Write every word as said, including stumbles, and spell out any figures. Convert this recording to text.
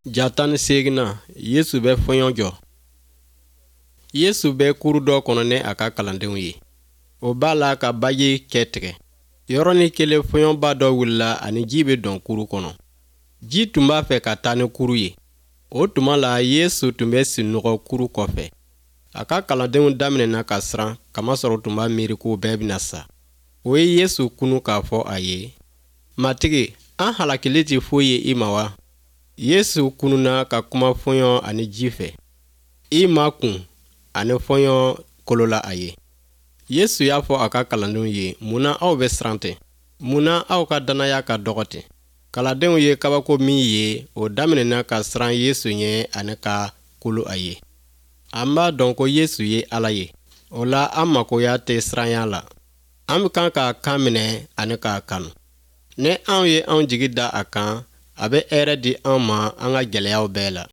Ja tan ni seeginnan, Yesu bɛ fɔɲɔ jɔ. Yesu bɛ kuru dɔ kɔnɔ ni a ka kalandenw ye. O b'a la ka baji cɛ tigɛ. Yɔrɔnin kelen, fɔɲɔba dɔ wulila ani ji bɛ dɔn kuru kɔnɔ. Ji tun b'a fɛ ka taa ni kuru ye. O tuma la, Yesu tun bɛ sunɔgɔ kuru kɔfɛ. A ka kalandenw daminɛna ka siran, kamasɔrɔ tun b'a miiri k'u bɛɛ bɛna sa. O ye Yesu kunu k'a fɔ a ye: "Matigi, an halakili tɛ foyi ye i ma wa?" Yesu kununa ka kuma fɔɲɔ ani ji fɛ. I ma kun ani fɔɲɔ kolola a ye. Yesu y'a fɔ a ka kalandenw ye: "Mun na aw bɛ siran ten? Mun na aw ka dannaya ka dɔgɔ ten?" Kalandenw ye kabako min ye, o daminɛna ka siran Yesu ɲɛ ani ka kolo a ye. An b'a dɔn ko Yesu ye Ala ye. O la, an makoya tɛ siranya la. An bɛ kan k'a kan minɛ ani k'a kanu. Ni anw ye anw jigi da a kan, a bɛ hɛrɛ di an ma an ka gɛlɛyaw bɛɛ la.